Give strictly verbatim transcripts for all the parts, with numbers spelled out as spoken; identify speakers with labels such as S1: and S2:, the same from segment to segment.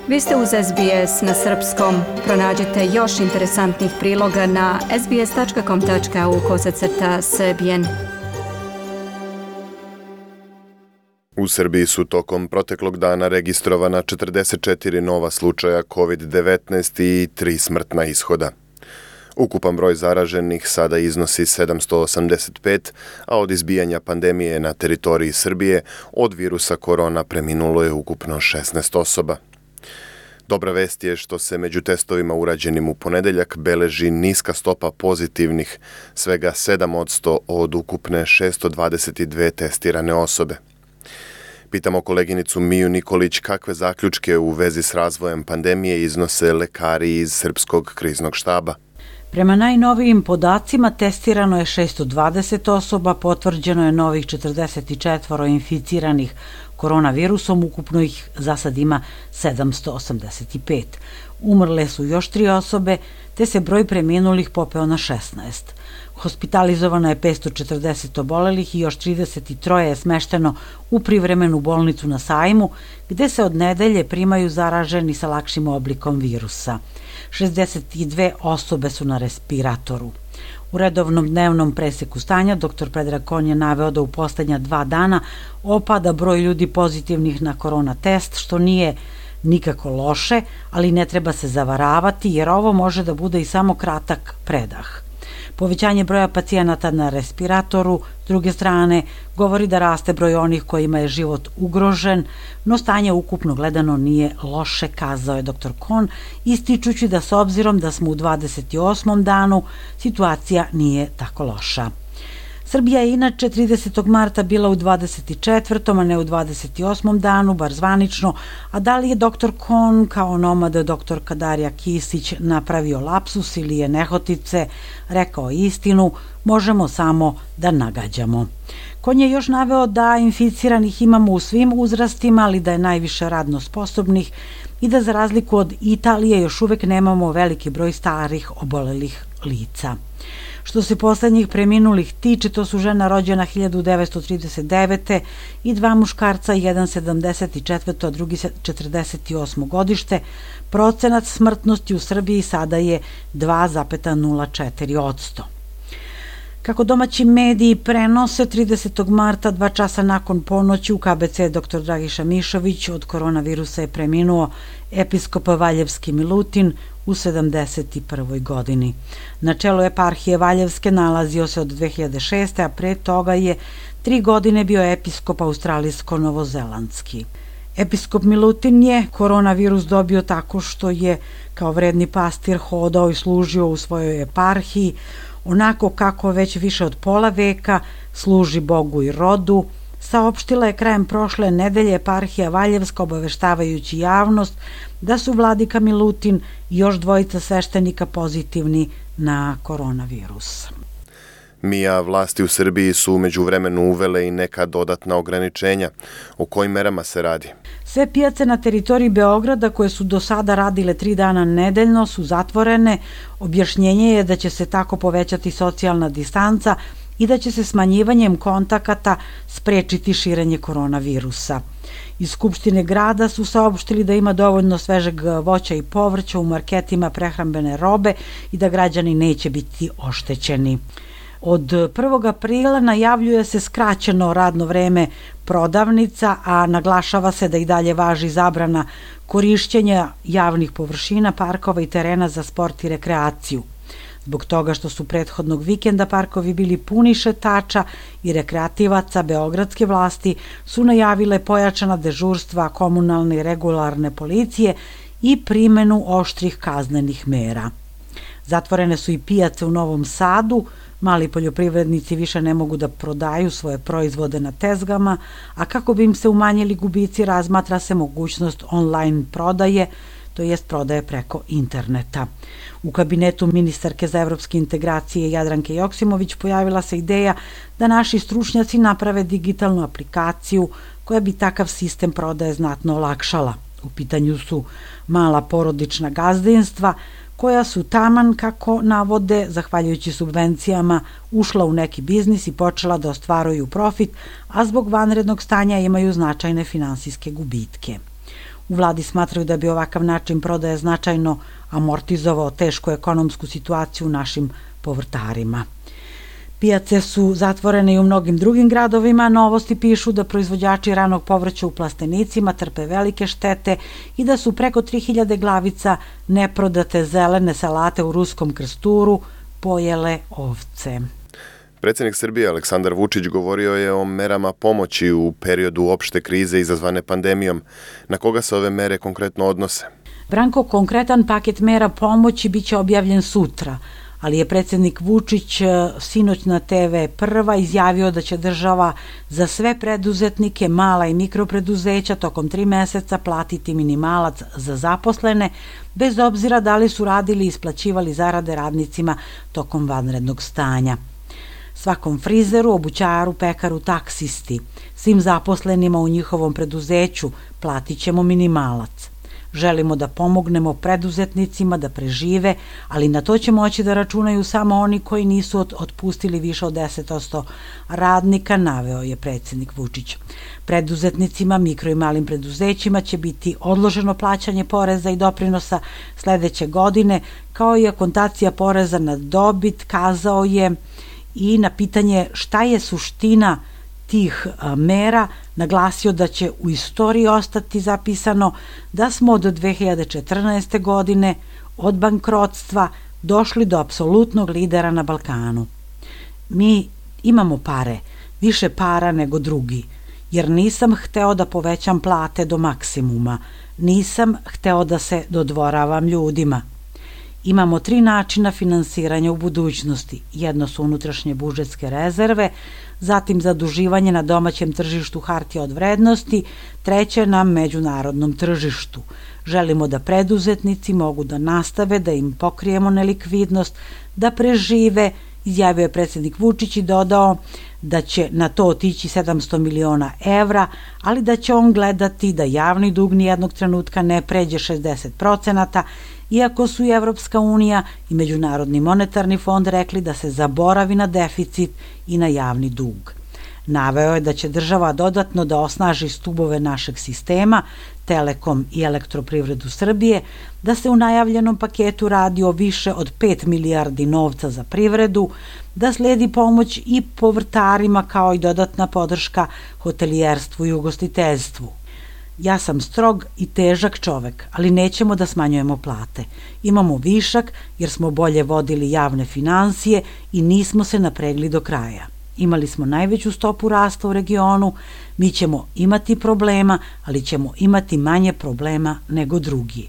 S1: Vi ste uz S B S na srpskom. Pronađite još interesantnih priloga na sbs.com.au kosacrta srbijen.
S2: U Srbiji su tokom proteklog dana registrovana četrdeset četiri nova slučaja kovid devetnaest i tri smrtna ishoda. Ukupan broj zaraženih sada iznosi sedamsto osamdeset pet, a od izbijanja pandemije na teritoriji Srbije od virusa korona preminulo je ukupno šesnaest osoba. Dobra vest je što se među testovima urađenim u ponedeljak beleži niska stopa pozitivnih, svega sedam posto od ukupne šessto dvadeset dve testirane osobe. Pitamo koleginicu Miju Nikolić kakve zaključke u vezi s razvojem pandemije iznose lekari iz Srpskog kriznog štaba.
S3: Prema najnovijim podacima testirano je šessto dvadeset osoba, potvrđeno je novih četrdeset četiri inficiranih koronavirusom, ukupno ih za sad ima sedamsto osamdeset pet. Umrle su još tri osobe, te se broj preminulih popeo na šesnaest. Hospitalizovano je petsto četrdeset obolelih i još trideset tri je smešteno u privremenu bolnicu na Sajmu, gde se od nedelje primaju zaraženi sa lakšim oblikom virusa. šezdeset dve osobe su na respiratoru. U redovnom dnevnom preseku stanja doktor Predrag Kon je naveo da u poslednja dva dana opada broj ljudi pozitivnih na korona test, što nije nikako loše, ali ne treba se zavaravati jer ovo može da bude i samo kratak predah. Povećanje broja pacijenata na respiratoru, s druge strane, govori da raste broj onih kojima je život ugrožen, no stanje ukupno gledano nije loše, kazao je doktor Kon, ističući da s obzirom da smo u dvadeset osmom danu, situacija nije tako loša. Srbija je inače tridesetog marta bila u dvadeset četvrtom, a ne u dvadeset osmom danu, bar zvanično, a da li je doktor Kon kao nomad doktorka Darija Kisić napravio lapsus ili je nehotice rekao istinu, možemo samo da nagađamo. Kon je još naveo da inficiranih imamo u svim uzrastima, ali da je najviše radno sposobnih i da za razliku od Italije još uvek nemamo veliki broj starih obolelih lica. Što se poslednjih preminulih tiče, to su žena rođena hiljadu devetsto trideset devete i dva muškarca, jedan sedamdeset četvrto, a drugi četrdeset osmo godište. Procenat smrtnosti u Srbiji sada je dva zarez nula četiri posto. Kako domaći mediji prenose, tridesetog marta, dva časa nakon ponoći, u K B C doktor Dragiša Mišović od koronavirusa je preminuo episkop Valjevski Milutin u sedamdeset prvoj godini. Na čelu eparhije Valjevske nalazio se od dve hiljade šeste. a pre toga je tri godine bio episkop australijsko-novozelandski. Episkop Milutin je koronavirus dobio tako što je kao vredni pastir hodao i služio u svojoj eparhiji, onako kako već više od pola veka služi Bogu i rodu, saopštila je krajem prošle nedelje eparhija Valjevska obaveštavajući javnost da su vladika Milutin i još dvojica sveštenika pozitivni na koronavirus.
S2: Mija, vlasti u Srbiji su umeđu vremenu uvele i neka dodatna ograničenja. O kojim merama se radi?
S3: Sve pijace na teritoriji Beograda koje su do sada radile tri dana nedeljno su zatvorene. Objašnjenje je da će se tako povećati socijalna distanca i da će se smanjivanjem kontakata sprečiti širenje koronavirusa. Iz Skupštine grada su saopštili da ima dovoljno svežeg voća i povrća u marketima prehrambene robe i da građani neće biti oštećeni. Od prvog aprila najavljuje se skraćeno radno vreme prodavnica, a naglašava se da i dalje važi zabrana korišćenja javnih površina, parkova i terena za sport i rekreaciju. Zbog toga što su prethodnog vikenda parkovi bili puni šetača i rekreativaca, beogradske vlasti su najavile pojačana dežurstva komunalne i regularne policije i primenu oštrih kaznenih mera. Zatvorene su i pijace u Novom Sadu, mali poljoprivrednici više ne mogu da prodaju svoje proizvode na tezgama, a kako bi im se umanjili gubici razmatra se mogućnost online prodaje, to jest prodaje preko interneta. U kabinetu ministarke za evropske integracije Jadranke Joksimović pojavila se ideja da naši stručnjaci naprave digitalnu aplikaciju koja bi takav sistem prodaje znatno olakšala. U pitanju su mala porodična gazdinstva koja su taman, kako navode, zahvaljujući subvencijama, ušla u neki biznis i počela da ostvaruju profit, a zbog vanrednog stanja imaju značajne finansijske gubitke. U vladi smatraju da bi ovakav način prodaje značajno amortizovao tešku ekonomsku situaciju našim povrtarima. Pijace su zatvorene i u mnogim drugim gradovima. Novosti pišu da proizvođači ranog povrća u plastenicima trpe velike štete i da su preko tri hiljade glavica neprodate zelene salate u Ruskom Krsturu pojele ovce.
S2: Predsjednik Srbije Aleksandar Vučić govorio je o merama pomoći u periodu opšte krize izazvane pandemijom. Na koga se ove mere konkretno odnose?
S3: Branko, konkretan paket mera pomoći biće objavljen sutra, ali je predsjednik Vučić sinoć na te ve Prva izjavio da će država za sve preduzetnike, mala i mikropreduzeća tokom tri meseca platiti minimalac za zaposlene, bez obzira da li su radili i isplaćivali zarade radnicima tokom vanrednog stanja. Svakom frizeru, obućaru, pekaru, taksisti, svim zaposlenima u njihovom preduzeću platit ćemo minimalac. Želimo da pomognemo preduzetnicima da prežive, ali na to će moći da računaju samo oni koji nisu otpustili više od deset posto radnika, naveo je predsjednik Vučić. Preduzetnicima, mikro i malim preduzećima će biti odloženo plaćanje poreza i doprinosa sledeće godine, kao i akontacija poreza na dobit, kazao je, i na pitanje šta je suština tih mera naglasio da će u istoriji ostati zapisano da smo od dve hiljade četrnaeste. godine od bankrotstva došli do apsolutnog lidera na Balkanu. Mi imamo pare, više para nego drugi, jer nisam hteo da povećam plate do maksimuma, nisam hteo da se dodvoravam ljudima. Imamo tri načina finansiranja u budućnosti. Jedno su unutrašnje budžetske rezerve, zatim zaduživanje na domaćem tržištu hartija od vrednosti, treće na međunarodnom tržištu. Želimo da preduzetnici mogu da nastave, da im pokrijemo nelikvidnost, da prežive, izjavio je predsjednik Vučić i dodao da će na to otići sedamsto miliona evra, ali da će on gledati da javni dug nijednog trenutka ne pređe šezdeset procenata, iako su i Evropska unija i Međunarodni monetarni fond rekli da se zaboravi na deficit i na javni dug. Naveo je da će država dodatno da osnaži stubove našeg sistema, Telekom i Elektroprivredu Srbije, da se u najavljenom paketu radi o više od pet milijardi novca za privredu, da sledi pomoć i povrtarima kao i dodatna podrška hotelijerstvu i ugostiteljstvu. Ja sam strog i težak čovek, ali nećemo da smanjujemo plate. Imamo višak jer smo bolje vodili javne finansije i nismo se napregli do kraja. Imali smo najveću stopu rasta u regionu, mi ćemo imati problema, ali ćemo imati manje problema nego drugi.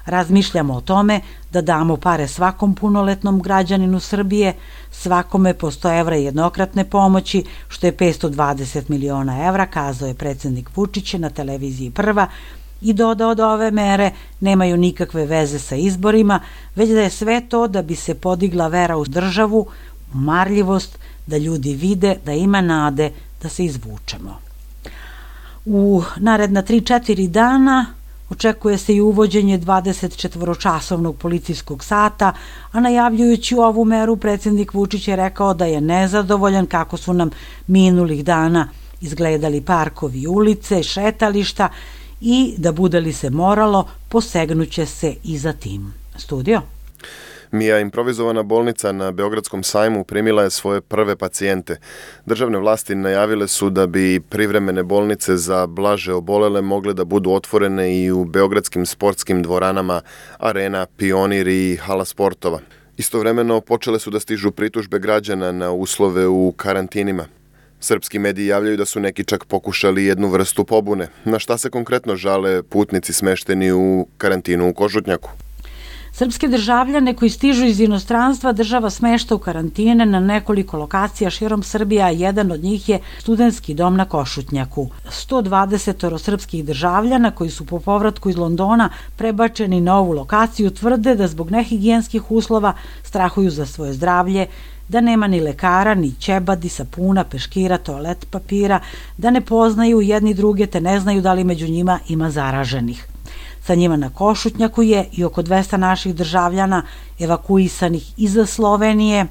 S3: Razmišljamo o tome da damo pare svakom punoletnom građaninu Srbije, svakome po sto evra jednokratne pomoći, što je petsto dvadeset miliona evra, kazao je predsjednik Vučić na televiziji Prva i dodao da ove mere nemaju nikakve veze sa izborima, već da je sve to da bi se podigla vera u državu, u marljivost, da ljudi vide da ima nade da se izvučemo. U naredna tri četiri dana očekuje se i uvođenje dvadesetčetvoročasovnog policijskog sata, a najavljujući ovu meru predsjednik Vučić je rekao da je nezadovoljan kako su nam minulih dana izgledali parkovi i ulice, šetališta i da bude li se moralo, posegnuće se i za tim. Studio?
S2: Mija, improvizovana bolnica na Beogradskom sajmu primila je svoje prve pacijente. Državne vlasti najavile su da bi privremene bolnice za blaže obolele mogle da budu otvorene i u beogradskim sportskim dvoranama Arena, Pionir i Hala sportova. Istovremeno počele su da stižu pritužbe građana na uslove u karantinima. Srpski mediji javljaju da su neki čak pokušali jednu vrstu pobune. Na šta se konkretno žale putnici smešteni u karantinu u Košutnjaku?
S3: Srpske državljane koji stižu iz inostranstva država smešta u karantine na nekoliko lokacija širom Srbije, a jedan od njih je studentski dom na Košutnjaku. sto dvadeset srpskih državljana koji su po povratku iz Londona prebačeni na ovu lokaciju tvrde da zbog nehigijenskih uslova strahuju za svoje zdravlje, da nema ni lekara, ni ćebadi, sapuna, peškira, toalet papira, da ne poznaju jedni druge te ne znaju da li među njima ima zaraženih. Sa njima na Košutnjaku je i oko dvesta naših državljana evakuisanih iza Slovenije.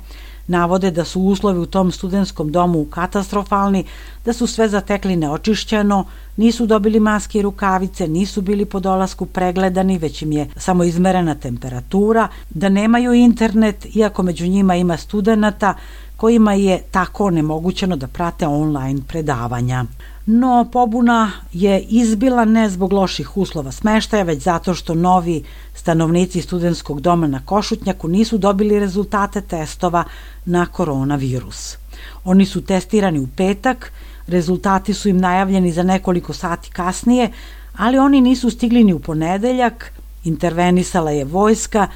S3: Navode da su uslovi u tom studentskom domu katastrofalni, da su sve zatekli neočišćeno, nisu dobili maske i rukavice, nisu bili po dolasku pregledani, već im je samo izmerena temperatura, da nemaju internet, iako među njima ima studenata kojima je tako onemogućeno da prate online predavanja. No, pobuna je izbila ne zbog loših uslova smeštaja, već zato što novi stanovnici studentskog doma na Košutnjaku nisu dobili rezultate testova na koronavirus. Oni su testirani u petak, rezultati su im najavljeni za nekoliko sati kasnije, ali oni nisu stigli ni u ponedeljak, intervenisala je vojska,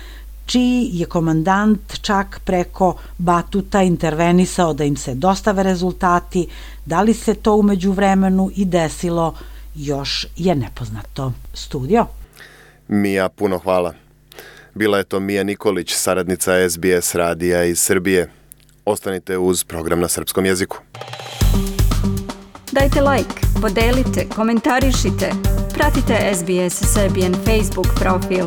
S3: čiji je komandant čak preko Batuta intervenisao da im se dostave rezultati. Da li se to umeđu vremenu i desilo, još je nepoznato. Studio.
S2: Mija, puno hvala. Bila je to Mija Nikolić, saradnica S B S radija iz Srbije. Ostanite uz program na srpskom jeziku.
S1: Dajte like, podelite, komentarišite. Pratite S B S Serbian Facebook profil.